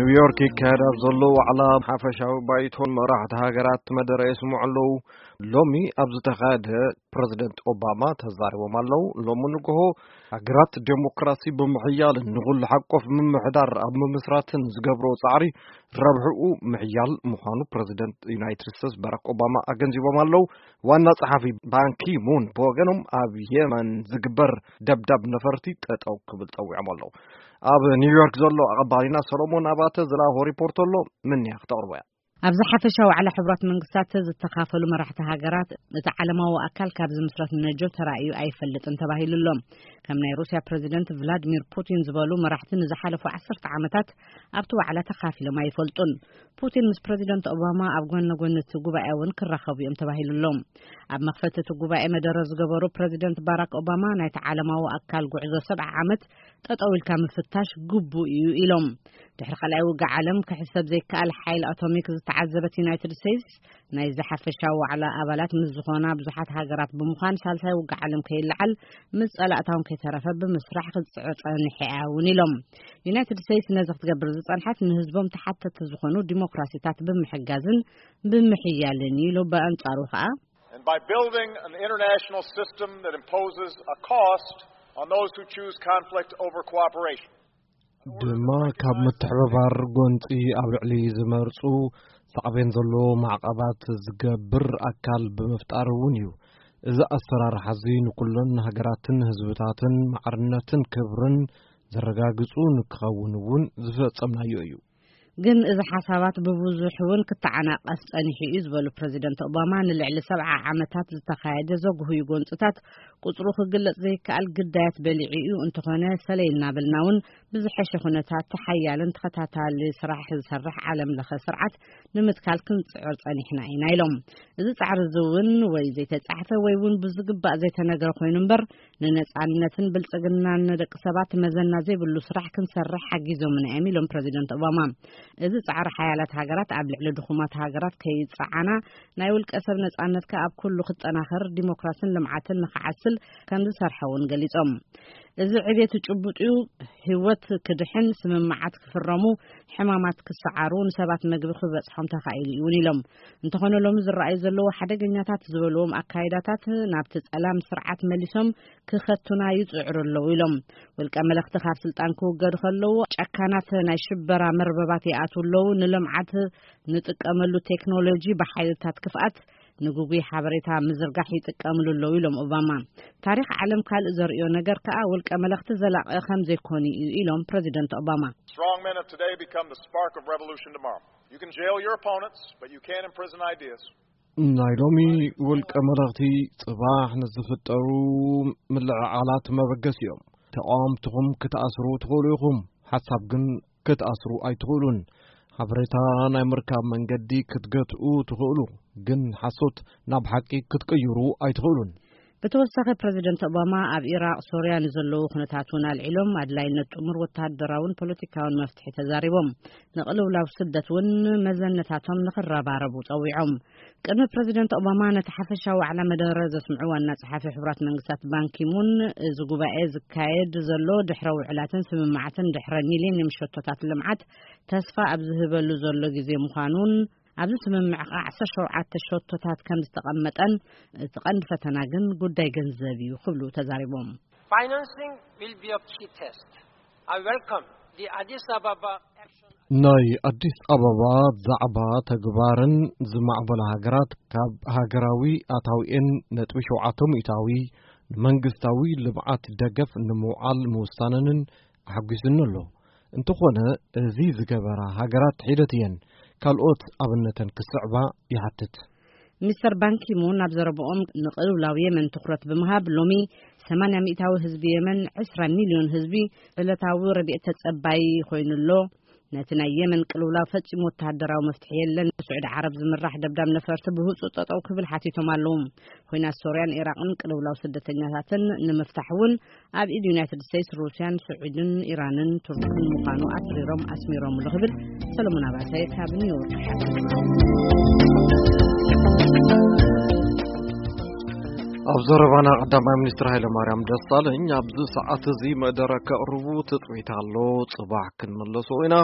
ኒውዮርክ ይካየድ ኣብ ዘሎ ዋዕላ ሓፈሻዊ ባይቶን መራሕቲ ሃገራት መደረ የስምዑ ኣለዉ። ሎሚ ኣብ ዝተኻየደ ፕረዚደንት ኦባማ ተዛሪቦም ኣለዉ። ሎሚ ንግሆ ሃገራት ዴሞክራሲ ብምሕያልን ንኹሉ ሓቆፍ ምምሕዳር ኣብ ምምስራትን ዝገብሮ ጻዕሪ ረብሕኡ ምሕያል ምዃኑ ፕረዚደንት ዩናይትድ ስቴትስ ባራክ ኦባማ ኣገንዚቦም ኣለዉ። ዋና ጸሓፊ ባንኪ ሙን ብወገኖም ኣብ የመን ዝግበር ደብዳብ ነፈርቲ ጠጠው ክብል ጸዊዖም ኣለዉ። ኣብ ኒውዮርክ ዘሎ ኣቐባሊና ሰሎሞን ኣባተ ዝለኣኾ ሪፖርት ኣሎ። ምንያ ክተቕርቦ እያ። ኣብዚ ሓፈሻዊ ዋዕላ ሕቡራት መንግስታት ዝተኻፈሉ መራሕቲ ሃገራት እቲ ዓለማዊ ኣካል ካብ ዝምስረት ነጆ ተራእዩ ኣይፈልጥን ተባሂሉ ኣሎ። ከም ናይ ሩስያ ፕረዚደንት ቭላድሚር ፑቲን ዝበሉ መራሕቲ ንዝሓለፉ ዓሰርተ ዓመታት ኣብቲ ዋዕላ ተኻፊሎም ኣይፈልጡን። ፑቲን ምስ ፕረዚደንት ኦባማ ኣብ ጎነ ጎኒ እቲ ጉባኤ እውን ክራኸቡ እዮም ተባሂሉ ኣሎ። ኣብ መኽፈቲ እቲ ጉባኤ መደረ ዝገበሩ ፕረዚደንት ባራክ ኦባማ ናይቲ ዓለማዊ ኣካል ጉዕዞ ሰብዓ ዓመት ጠጠው ኢልካ ምፍታሽ ግቡእ እዩ ኢሎም። ድሕሪ ካልኣይ ውግእ ዓለም ክሕሰብ ዘይከኣል ሓይል ኣቶሚክ ዝተዓዘበት ዩናይትድ ስቴትስ ናይዚ ሓፈሻዊ ዋዕላ ኣባላት ምስ ዝኾና ብዙሓት ሃገራት ብምዃን ሳልሳይ ውግእ ዓለም ከይለዓል ምስ ጸላእታውን ከይተረፈ ብምስራሕ ክትጽዕር ጸኒሐ እያ እውን ኢሎም። ዩናይትድ ስቴትስ ነዚ ክትገብር ዝጸንሐት ንህዝቦም ተሓተቲ ዝኾኑ ዲሞክራሲታት ብምሕጋዝን ብምሕያልን ኢሉ ብኣንጻሩ ከኣ And by building an international system that imposes a cost on those who choose conflict over cooperation. ድማ ካብ ምትሕብባር ጎንፂ ኣብ ልዕሊ ዝመርፁ ሳዕቤን ዘለዎ ማዕቐባት ዝገብር ኣካል ብምፍጣር እውን እዩ። እዚ ኣሰራርሓ እዚ ንኩለን ሃገራትን ህዝብታትን ማዕርነትን ክብርን ዘረጋግፁ ንክኸውን እውን ዝፈጸምናዮ እዩ። ግን እዚ ሓሳባት ብብዙሕ እውን ክተዓናቀፍ ጸኒሑ እዩ ዝበሉ ፕረዚደንት ኦባማ፣ ንልዕሊ ሰብዓ ዓመታት ዝተኻየደ ዘጉህዩ ጎንፅታት ቁፅሩ ክግለጽ ዘይከኣል ግዳያት በሊዑ እዩ። እንተኾነ ሰለይ እናበልና እውን ብዝሐሸ ኩነታት ሓያልን ተኸታታሊ ስራሕ ዝሰርሕ ዓለም ለኸ ስርዓት ንምትካል ክንጽዕር ጸኒሕና ኢና ኢሎም። እዚ ጻዕሪ እዚ እውን ወይ ዘይተጻሕፈ ወይ እውን ብዝግባእ ዘይተነገረ ኮይኑ እምበር ንነጻነትን ብልጽግናን ንደቂ ሰባት መዘና ዘይብሉ ስራሕ ክንሰርሕ ሓጊዞምና እዮም ኢሎም ፕረዚደንት ኦባማ። እዚ ጻዕሪ ሓያላት ሃገራት ኣብ ልዕሊ ድኹማት ሃገራት ከይጸዓና ናይ ውልቀ ሰብ ነጻነትካ ኣብ ኩሉ ክጠናኸር ዲሞክራስን ልምዓትን ንክዓስል ከም ዝሰርሐ እውን ገሊጾም። እዚ ዕቤት ጭቡጥ እዩ። ህይወት ክድሕን ስምምዓት ክፍረሙ ሕማማት ክሰዓሩ ንሰባት መግቢ ክበጽሖም ተኻኢሉ እዩ እውን ኢሎም። እንተኾነ ሎሚ ዝረኣዩ ዘለዉ ሓደገኛታት ዝበልዎም ኣካይዳታት ናብቲ ጸላም ስርዓት መሊሶም ክኸቱና ይጽዕሩ ኣለዉ ኢሎም። ውልቀ መለኽቲ ካብ ስልጣን ክውገዱ ከለዉ ጨካናት ናይ ሽበራ መርበባት ይኣትዉ ኣለዉ። ንልምዓት ንጥቀመሉ ቴክኖሎጂ ብሓይልታት ክፍኣት ንግጉይ ሓበሬታ ምዝርጋሕ ይጥቀምሉ ኣለዉ ኢሎም ኦባማ። ታሪኽ ዓለም ካልእ ዘርእዮ ነገር ከኣ ውልቀ መለኽቲ ዘላቒ ከም ዘይኮኑ እዩ ኢሎም ፕረዚደንት ኦባማ። Strong men of today become the spark of revolution tomorrow. You can jail your opponents, but you can't imprison ideas. ናይ ሎሚ ውልቀ መለኽቲ ጽባሕ ንዝፍጠሩ ምልዕዓላት መበገሲ እዮም። ተቃወምትኹም ክትኣስሩ ትኽእሉ ኢኹም፣ ሓሳብ ግን ክትኣስሩ ኣይትኽእሉን። ሓበሬታ ናይ ምርካብ መንገዲ ክትገትኡ ትኽእሉ፣ ግን ሓሶት ናብ ሓቂ ክትቅይሩ ኣይትኽእሉን። ብተወሳኺ ፕረዚደንት ኦባማ ኣብ ኢራቕ፣ ሶርያ ንዘለዉ ኩነታት እውን ኣልዒሎም ኣድላይነት ጥሙር ወተሃደራውን ፖለቲካውን መፍትሒ ተዛሪቦም። ንቅልውላው ስደት እውን መዘነታቶም ንክረባረቡ ጸዊዖም። ቅድሚ ፕረዚደንት ኦባማ ነቲ ሓፈሻዊ ዋዕላ መደረ ዘስምዑ ዋና ጸሓፊ ሕቡራት መንግስታት ባንኪሙን፣ እዚ ጉባኤ ዝካየድ ዘሎ ድሕረ ውዕላትን ስምምዓትን ድሕረ ሚሌኒየም ሸቶታት ልምዓት ተስፋ ኣብ ዝህበሉ ዘሎ ግዜ ምዃኑን ኣብዚ ስምምዕ ከኣ ዓሰርተ ሸውዓተ ሸቶታት ከም ዝተቐመጠን እቲ ቀንዲ ፈተና ግን ጉዳይ ገንዘብ እዩ ክብሉ ተዛሪቦም። Financing will be a key test. I welcome the Addis Ababa action. ናይ ኣዲስ ኣበባ ዛዕባ ተግባርን ዝማዕበላ ሃገራት ካብ ሃገራዊ ኣታዊኤን ነጥቢ ሸውዓተ ሚእታዊ ንመንግስታዊ ልምዓት ደገፍ ንምውዓል ምውሳነንን ኣሐጒስኒ ኣሎ። እንተኾነ እዚ ዝገበራ ሃገራት ሒደት እየን ካልኦት ኣብነተን ክስዕባ ይሓትት። ሚስተር ባንኪሙን ኣብ ዘረብኦም ንቅልውላው የመን ትኹረት ብምሃብ ሎሚ ሰማንያ ሚእታዊ ህዝቢ የመን ዕስራ ሚልዮን ህዝቢ ዕለታዊ ረድኤት ተጸባይ ኮይኑ ኣሎ። ነቲ ናይ የመን ቅልውላው ፈጺሙ ወተሃደራዊ መፍትሒ የለን። ብስዑዲ ዓረብ ዝምራሕ ደብዳብ ነፈርቲ ብህጹጽ ጠጠው ክብል ሓቲቶም ኣለዉ። ኲናት ሶርያን ኢራቕን ቅልውላው ስደተኛታትን ንምፍታሕ እውን ኣብ ኢድ ዩናይትድ ስቴትስ፣ ሩስያን፣ ስዑድን፣ ኢራንን፣ ቱርክን ምዃኑ ኣትሪሮም ኣስሚሮምሉ ክብል ሰለሞን ኣባተ ካብ ኒውዮርክ ሓቢሩ። ኣብ ዘረባና ቀዳማይ ሚኒስትር ሃይለማርያም ደሳለኝ ኣብዚ ሰዓት እዚ መደረ ከቕርቡ ትጽቢት ኣሎ። ጽባሕ ክንምለሶ ኢና።